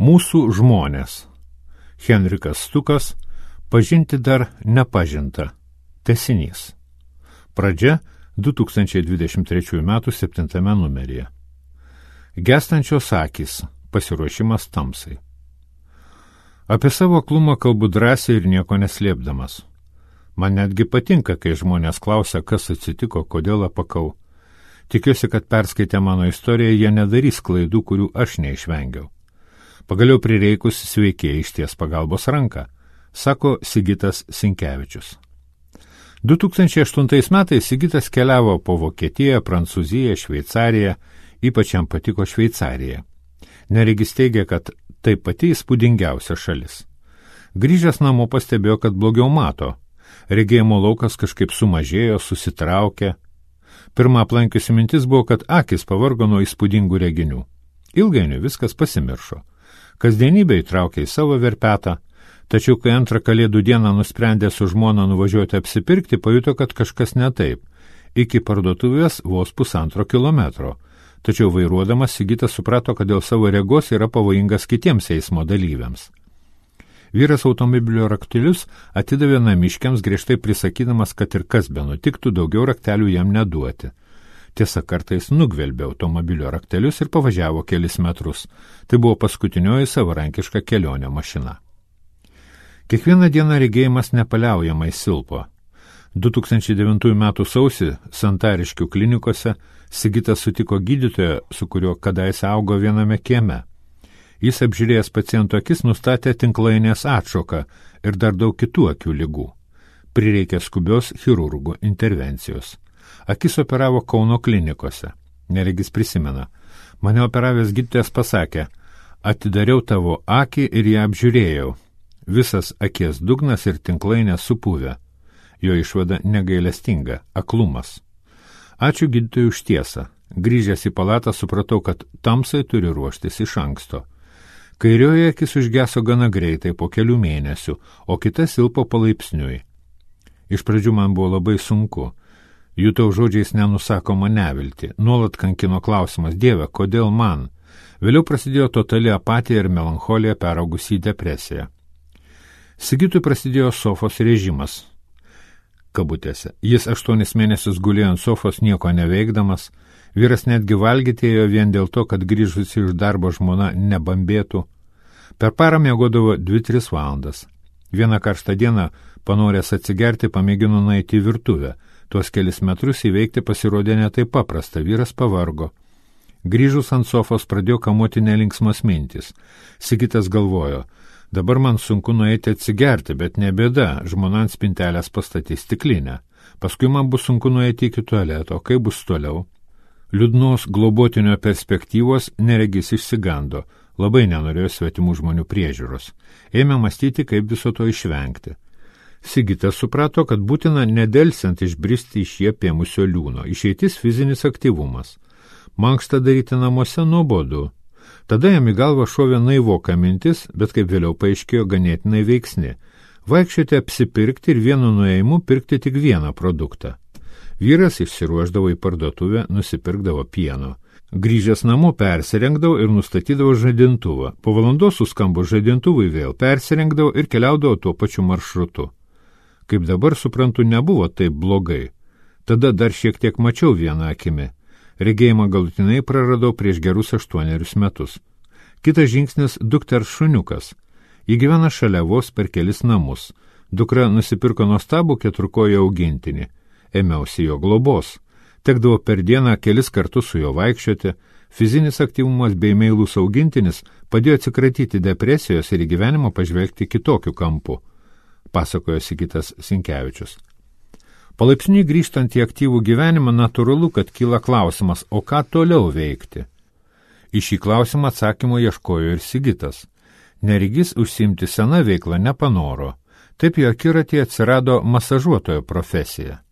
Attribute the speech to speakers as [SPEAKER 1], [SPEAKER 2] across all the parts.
[SPEAKER 1] Mūsų žmonės. Henrikas Stukas, pažinti dar nepažinta. Tęsinys. Pradžia 2023 m. 7 numeryje. Gęstančios akys. Pasiruošimas tamsai. Apie savo aklumą kalbu drąsiai ir nieko neslėpdamas. Man netgi patinka, kai žmonės klausia, kas atsitiko, kodėl apakau. Tikiuosi, kad perskaitę mano istoriją, jie nedarys klaidų, kurių aš neišvengiau. Pagaliau prireikus sveikėjai išties pagalbos ranką, sako Sigitas Sinkevičius. 2008 metais Sigitas keliavo po Vokietiją, Prancūziją, Šveicariją, ypač jam patiko Šveicarija. Neregis teigia, kad tai pati įspūdingiausia šalis. Grįžęs namo pastebėjo, kad blogiau mato. Regėjimo laukas kažkaip sumažėjo, susitraukė. Pirma aplankiusi mintis buvo, kad akis pavargo nuo įspūdingų reginių. Ilgainiui viskas pasimiršo. Kasdienybė įtraukė į savo verpetą, tačiau kai antrą Kalėdų dieną nusprendė su žmona nuvažiuoti apsipirkti, pajuto, kad kažkas ne taip. Iki parduotuvės vos 1,5 kilometro. Tačiau vairuodamas Sigitas suprato, kad dėl savo regos yra pavojingas kitiems eismo dalyviams. Vyras automobilio raktelius atidavė namiškiams, griežtai prisakydamas, kad ir kas be nutiktų, daugiau raktelių jam neduoti. Tiesa, kartais nugvelbė automobilio raktelius ir pavažiavo kelis metrus. Tai buvo paskutinioji savarankiška kelionė mašina. Kiekvieną dieną regėjimas nepaliaujamai silpo. 2009 m. sausį Santariškių klinikose Sigitas sutiko gydytoją, su kuriuo kadaise augo viename kieme. Jis apžiūrėjęs paciento akis nustatė tinklainės atšoką ir dar daug kitų akių ligų. Prireikė skubios chirurgų intervencijos. Akis operavo Kauno klinikose. Neregis prisimena. Mane operavęs gydytojas pasakė, atidariau tavo akį ir ją apžiūrėjau. Visas akies dugnas ir tinklainė supuvę. Jo išvada negailestinga – aklumas. Ačiū gydytojui už tiesą. Grįžęs į palatą supratau, kad tamsai turi ruoštis iš anksto. Kairioji akis užgeso gana greitai po kelių mėnesių, o kita silpo palaipsniui. Iš pradžių man buvo labai sunku. Jutau žodžiais nenusakoma nevilti. Nuolat kankino klausimas, Dieve, kodėl man? Vėliau prasidėjo totali apatija ir melancholija peraugusi į depresiją. Sigitui prasidėjo sofos režimas. Kabutėse. Jis 8 mėnesius gulėjo ant sofos nieko neveikdamas. Vyras netgi valgyti ėjo vien dėl to, kad grįžusi iš darbo žmona nebambėtų. Per parą miegodavo 2-3 valandas. Vieną karštą dieną, panoręs atsigerti, pamėgino nueiti į virtuvę. Tuos kelis metrus įveikti pasirodė ne taip paprasta, vyras pavargo. Grįžus ant sofos pradėjo kamuoti nelinksmas mintys. Sigitas galvojo, dabar man sunku nueiti atsigerti, bet ne bėda, žmona ant spintelės pastatys stiklinę. Paskui man bus sunku nueiti iki tualeto, kaip bus toliau. Liūdnos globotinio perspektyvos neregis išsigando, labai nenorėjo svetimų žmonių priežiūros. Ėmė mąstyti, kaip viso to išvengti. Sigitas suprato, kad būtina nedelsiant išbristi iš jį apėmusio liūno, išeitis fizinis aktyvumas. Mankštą daryti namuose nuobodu. Tada jam į galvą šovė naivoka mintis, bet kaip vėliau paaiškėjo ganėtinai veiksni. Vaikščioti apsipirkti ir vienu nuėjimu pirkti tik vieną produktą. Vyras išsiruošdavo į parduotuvę, nusipirkdavo pieno. Grįžęs namo persirengdavo ir nustatydavo žadintuvą. Po valandos suskambus žadintuvui vėl persirengdavo ir keliaudavo tuo pačiu maršrutu. Kaip dabar suprantu, nebuvo taip blogai. Tada dar šiek tiek mačiau vieną akimi. Regėjimą galutinai praradau prieš gerus 8 metus. Kitas žingsnis – dukters šuniukas. Ji gyvena šalia vos per kelis namus. Dukra nusipirko nuostabų 4-kojį augintinį. Ėmiausi jo globos. Tekdavo per dieną kelis kartus su juo vaikščioti. Fizinis aktyvumas bei meilus augintinis padėjo atsikratyti depresijos ir į gyvenimą pažvelgti kitokiu kampu, pasakojo Sigitas Sinkevičius. Palaipsniui grįžtant į aktyvų gyvenimą, natūralu, kad kyla klausimas, o ką toliau veikti? Į šį klausimą atsakymo ieškojo ir Sigitas. Neregis užsiimti sena veikla nepanoro. Taip jo akiratyje atsirado masažuotojo profesija.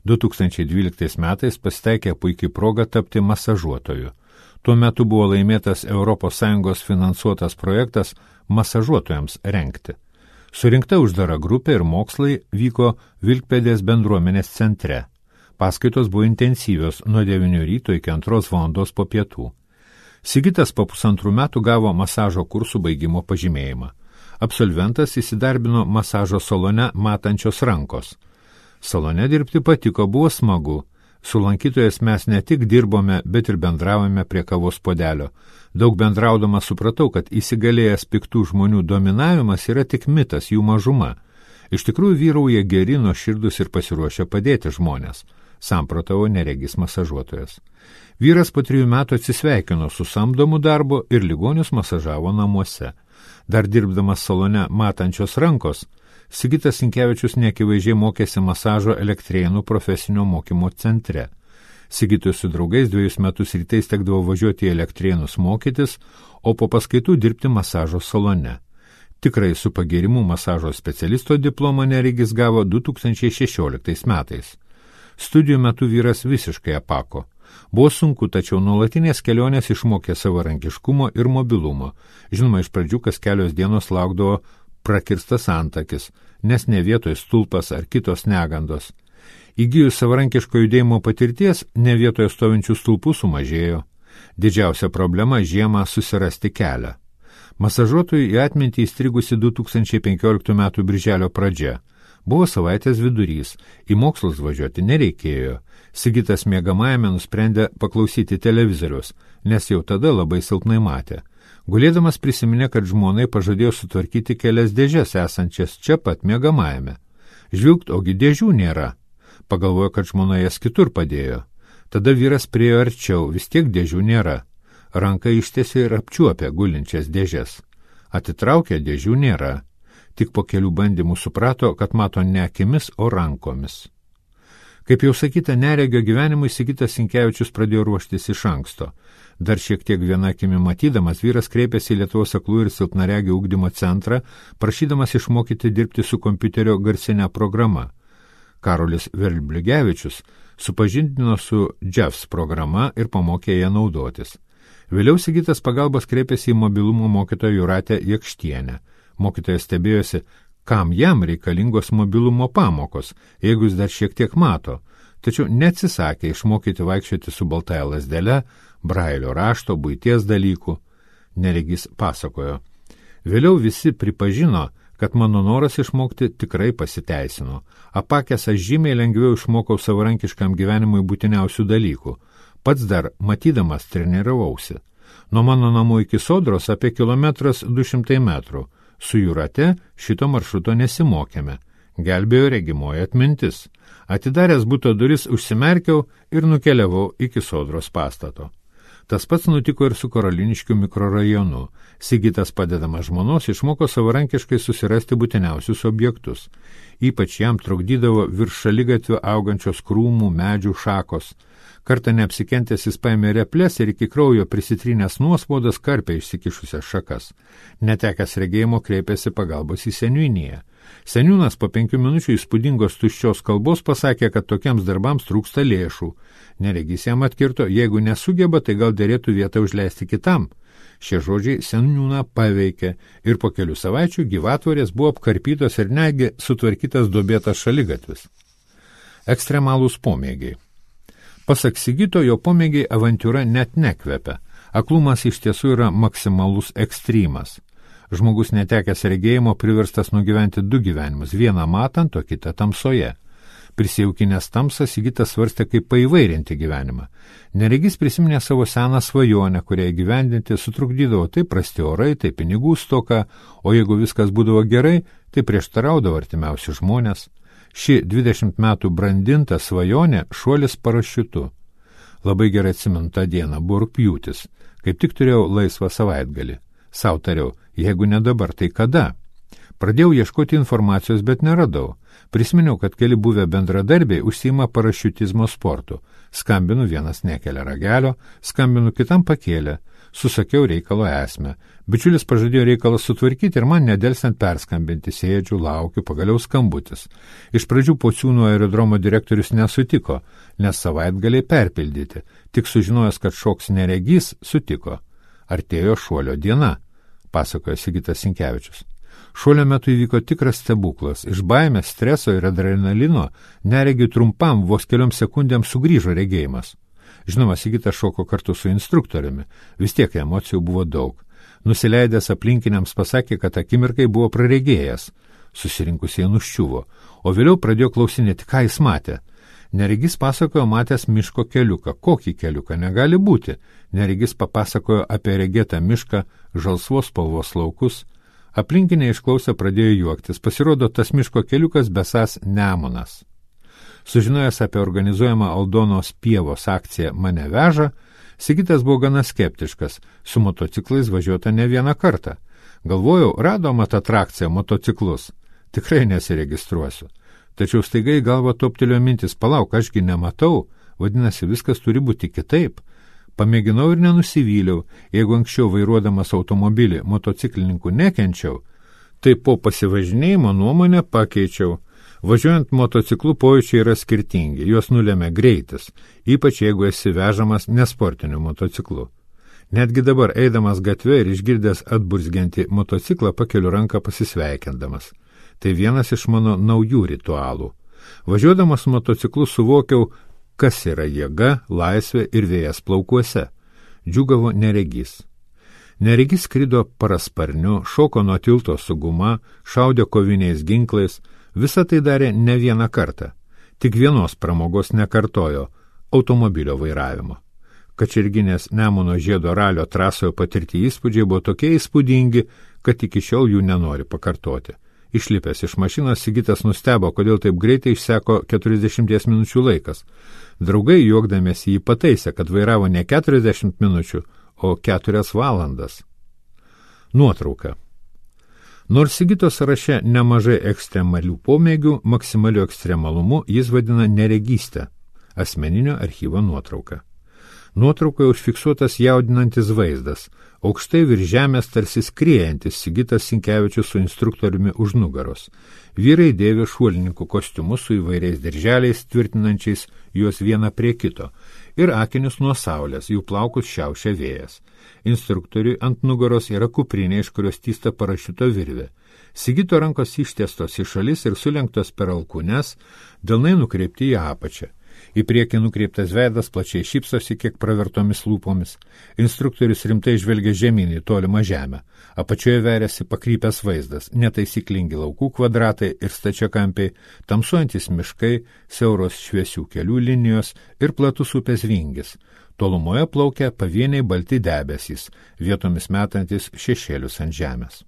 [SPEAKER 1] 2012 metais pasitaikė puikiai proga tapti masažuotoju. Tuo metu buvo laimėtas ES finansuotas projektas masažuotojams rengti. Surinkta uždara grupė ir mokslai vyko Vilkpėdės bendruomenės centre. Paskaitos buvo intensyvios nuo 9 ryto iki 2 valandos po pietų. Sigitas po 2 metų gavo masažo kursų baigimo pažymėjimą. Absolventas įsidarbino masažo salone Matančios rankos. Salone dirbti patiko, buvo smagu. Su lankytojais mes ne tik dirbome, bet ir bendravome prie kavos puodelio. Daug bendraudamas supratau, kad įsigalėjęs piktų žmonių dominavimas yra tik mitas, jų mažuma. Iš tikrųjų vyrauja geri, nuoširdūs ir pasiruošę padėti žmonės, samprotavo neregis masažuotojas. Vyras po 3 metų atsisveikino su samdomu darbu ir ligonius masažavo namuose. Dar dirbdamas salone Matančios rankos, Sigitas Sinkevičius neakivaizdžiai mokėsi masažo Elektrėnų profesinio mokymo centre. Sigitui su draugais 2 metus rytais tekdavo važiuoti į Elektrėnus mokytis, o po paskaitų dirbti masažo salone. Tikrai su pagirimu masažo specialisto diplomą neregis gavo 2016 metais. Studijų metu vyras visiškai apako. Buvo sunku, tačiau nuolatinės kelionės išmokė savarankiškumo ir mobilumo. Žinoma, iš pradžių kas kelios dienos laukdavo prakirstas antakis, nes ne vietoj stulpas ar kitos negandos. Įgijus savarankiško judėjimo patirties, ne vietoje stovinčių stulpų sumažėjo. Didžiausia problema žiemą susirasti kelią. Masažuotojui į atmintį įstrigusi 2015 metų birželio pradžia. Buvo savaitės vidurys, į mokslus važiuoti nereikėjo. Sigitas miegamajame nusprendė paklausyti televizoriaus, nes jau tada labai silpnai matė. Gulėdamas prisiminė, kad žmonai pažadėjo sutvarkyti kelias dėžes esančias čia pat miegamajame. Žvilgt, ogi dėžių nėra. Pagalvojo, kad žmona jas kitur padėjo. Tada vyras priejo arčiau, vis tiek dėžių nėra. Ranka ištiesė ir apčiuopė gulinčias dėžes. Atitraukė, dėžių nėra. Tik po kelių bandymų suprato, kad mato ne akimis, o rankomis. Kaip jau sakyta, neregio gyvenimui Sigitas Sinkevičius pradėjo ruoštis iš anksto. Dar šiek tiek viena akimi matydamas, vyras kreipėsi į Lietuvos aklųjų ir silpnaregių ugdymo centrą, prašydamas išmokyti dirbti su kompiuterio garsinė programa. Karolis Verbligevičius supažindino su JAVS programa ir pamokė ją naudotis. Vėliau Sigitas pagalbos kreipėsi į mobilumo mokytoją Jūratę Jakštienę. Mokytojas stebėjosi, kam jam reikalingos mobilumo pamokos, jeigu jis dar šiek tiek mato, tačiau neatsisakė išmokyti vaikščioti su baltaja lazdele, brailio rašto, buities dalykų. Neregis pasakojo. Vėliau visi pripažino, kad mano noras išmokti tikrai pasiteisino. Apakęs aš žymiai lengviau išmokau savarankiškam gyvenimui būtiniausių dalykų. Pats dar matydamas treniravausi. Nuo mano namų iki Sodros apie 1,2 metrų. Su Jūrate šito maršruto nesimokėme. Gelbėjo regimoji atmintis. Atidaręs buto duris užsimerkiau ir nukeliavau iki Sodros pastato. Tas pats nutiko ir su Karoliniškių mikrorajonu. Sigitas padedamas žmonos išmoko savarankiškai susirasti būtiniausius objektus. Ypač jam trukdydavo virš šaligatvio augančios krūmų, medžių šakos. Kartą neapsikentęs jis paėmė reples ir iki kraujo prisitrynęs nuospaudas karpė išsikišusias šakas. Netekęs regėjimo kreipėsi pagalbos į seniūniją. Seniūnas po 5 minučių įspūdingos tuščios kalbos pasakė, kad tokiems darbams trūksta lėšų. Neregys jam atkirto, jeigu nesugeba, tai gal derėtų vietą užleisti kitam. Šie žodžiai seniūną paveikė ir po kelių savaičių gyvatvorės buvo apkarpytos ir netgi sutvarkytas duobėtas šaligatvis. Ekstremalūs pomėgiai. Pasak Sigito, jo pomėgiai avantiūra net nekvepia. Aklumas iš tiesų yra maksimalus ekstrymas. Žmogus netekęs regėjimo priverstas nugyventi 2 gyvenimus, vieną matant, o kitą tamsoje. Prisijaukinęs tamsą, Sigitas svarstė, kaip paįvairinti gyvenimą. Neregys prisiminė savo seną svajonę, kurią įgyvendinti sutrukdydavo tai prasti orai, tai pinigų stoka, o jeigu viskas būdavo gerai, tai prieštaraudavo artimiausi žmonės. Ši 20 metų brandinta svajonė šuolis parašiutu. Labai gerai atsimenu tą dieną, buvo rugpjūtis, kaip tik turėjau laisvą savaitgalį. Sau tariau, jeigu ne dabar, tai kada? Pradėjau ieškoti informacijos, bet neradau. Prisiminiau, kad keli buvę bendradarbiai užsiima parašiutizmo sportu. Skambinu, vienas nekelia ragelio, skambinu, kitam pakėlė. Susakiau reikalo esmę. Bičiulis pažadėjo reikalą sutvarkyti ir man nedelsiant perskambinti. Sėdžiu, laukiu, pagaliau skambutis. Iš pradžių Pociūnų aerodromo direktorius nesutiko, nes savaitgaliai perpildyti. Tik sužinojęs, kad šoks neregys, sutiko. Artėjo šuolio diena, pasakojo Sigitas Sinkevičius. Šuolio metu įvyko tikras stebuklas. Iš baimės, streso ir adrenalino neregiui trumpam vos kelioms sekundėms sugrįžo regėjimas. Žinoma, Sigitas šoko kartu su instruktoriumi, vis tiek emocijų buvo daug. Nusileidęs aplinkiniams pasakė, kad akimirkai buvo praregėjęs. Susirinkusieji nuščiuvo, o vėliau pradėjo klausinėti, ką jis matė. Neregys pasakojo matęs miško keliuką. Kokį keliuką? Negali būti. Neregys papasakojo apie regėtą mišką, žalsvos spalvos laukus. Aplinkiniai išklausę pradėjo juoktis. Pasirodo, tas miško keliukas besąs Nemunas. Sužinojęs apie organizuojamą Aldonos pievos akciją Mane veža, Sigitas buvo gana skeptiškas. Su motociklais važiuota ne vieną kartą. Galvojau, rado mat atrakciją motociklus. Tikrai nesiregistruosiu. Tačiau staiga į galvą toptelėjo mintis, palauk, ašgi nematau, vadinasi, viskas turi būti kitaip. Pamėginau ir nenusivyliau, jeigu anksčiau vairuodamas automobilį motociklininkų nekenčiau, tai po pasivažinėjimo nuomonę pakeičiau. Važiuojant motociklu pojūčiai yra skirtingi, juos nulemia greitis, ypač jeigu esi vežamas nesportiniu motociklu. Netgi dabar eidamas gatve ir išgirdęs atburzgiantį motociklą pakeliu ranką pasisveikindamas. Tai vienas iš mano naujų ritualų. Važiuodamas motociklu suvokiau, kas yra jėga, laisvė ir vėjas plaukuose. Džiūgavo Neregys. Neregys skrido parasparniu, šoko nuo tilto su guma, šaudė koviniais ginklais, visą tai darė ne vieną kartą. Tik vienos pramogos nekartojo – automobilio vairavimo. Kačerginės Nemuno žiedo ralio trasoje patirti įspūdžiai buvo tokie įspūdingi, kad iki šiol jų nenori pakartoti. Išlipęs iš mašinos, Sigitas nustebo, kodėl taip greitai išseko 40 minučių laikas. Draugai juokdamiesi jį pataisė, kad vairavo ne 40 minučių, o 4 valandas. Nuotrauka. Nors Sigito sąraše nemažai ekstremalių pomėgių, maksimaliu ekstremalumu jis vadina neregystę, asmeninio archyvo nuotrauką. Nuotraukoje užfiksuotas jaudinantis vaizdas, aukštai virš žemės tarsi skriejantis Sigitas Sinkevičius su instruktoriumi už nugaros. Vyrai dėvi šuolininkų kostiumus su įvairiais dirželiais, tvirtinančiais juos vieną prie kito, ir akinius nuo saulės, jų plaukus šiaušia vėjas. Instruktoriui ant nugaros yra kuprinė, iš kurios tysta parašiuto virvė. Sigito rankos ištiestos į šalis ir sulenktos per alkūnes, delnai nukreipti į apačią. Į priekį nukreiptas veidas plačiai šypsosi kiek pravertomis lūpomis. Instruktorius rimtai žvelgia žemyn į tolimą žemę. Apačioje veriasi pakrypęs vaizdas, netaisyklingi laukų kvadratai ir stačiakampiai, tamsuojantis miškai, siauros šviesių kelių linijos ir platus upės vingis. Tolumoje plaukia pavieniai balti debesys, vietomis metantis šešėlius ant žemės.